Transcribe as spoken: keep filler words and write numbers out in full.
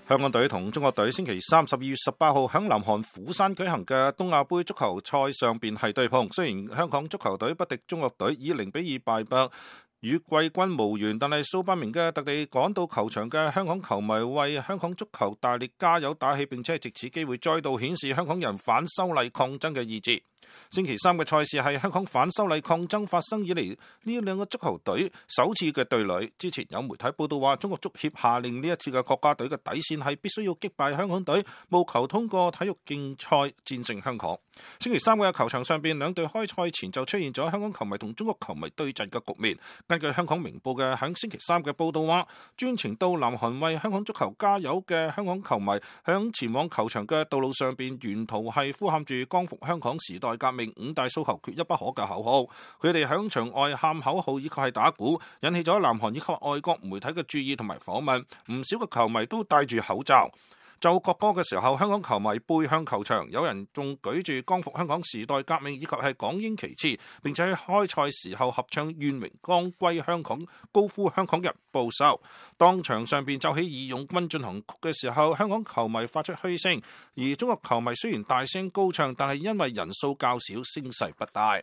香港隊同中國隊星期三十二月十八號喺南韓釜山舉行嘅東亞盃足球賽上邊係對碰，雖然香港足球隊不敵中國隊以零比二敗北，與季軍無緣，但係數百名嘅特地趕到球場嘅香港球迷為香港足球大力加油打氣，並且藉此機會再度顯示香港人反修例抗爭嘅意志。星期三嘅賽事係香港反修例抗爭發生以嚟呢兩個足球隊首次嘅對壘。之前有媒體報道話，中國足協下令呢一次嘅國家隊嘅底線係必須要擊敗香港隊，務求通過體育競賽戰勝香港。星期三嘅球場上邊，兩隊開賽前就出現咗香港球迷同中國球迷對陣嘅局面。根據香港明報嘅響星期三嘅報道話，專程到南韓為香港足球加油嘅香港球迷響前往球場嘅道路上邊，沿途係呼喊住光復香港、時代革命、五大訴求、缺一不可嘅口號。佢哋響場外喊口號以及係打鼓，引起咗南韓以及外國媒體嘅注意同埋訪問。唔少嘅球迷都戴住口罩。就國歌嘅時候，香港球迷背向球場，有人仲舉住光復香港、時代革命以及係港英旗幟，並且喺開賽時候合唱願榮光歸香港，高呼香港人報仇。當場上邊奏起義勇軍進行曲嘅時候，香港球迷發出噓聲，而中國球迷雖然大聲高唱，但係因為人數較少，聲勢不大。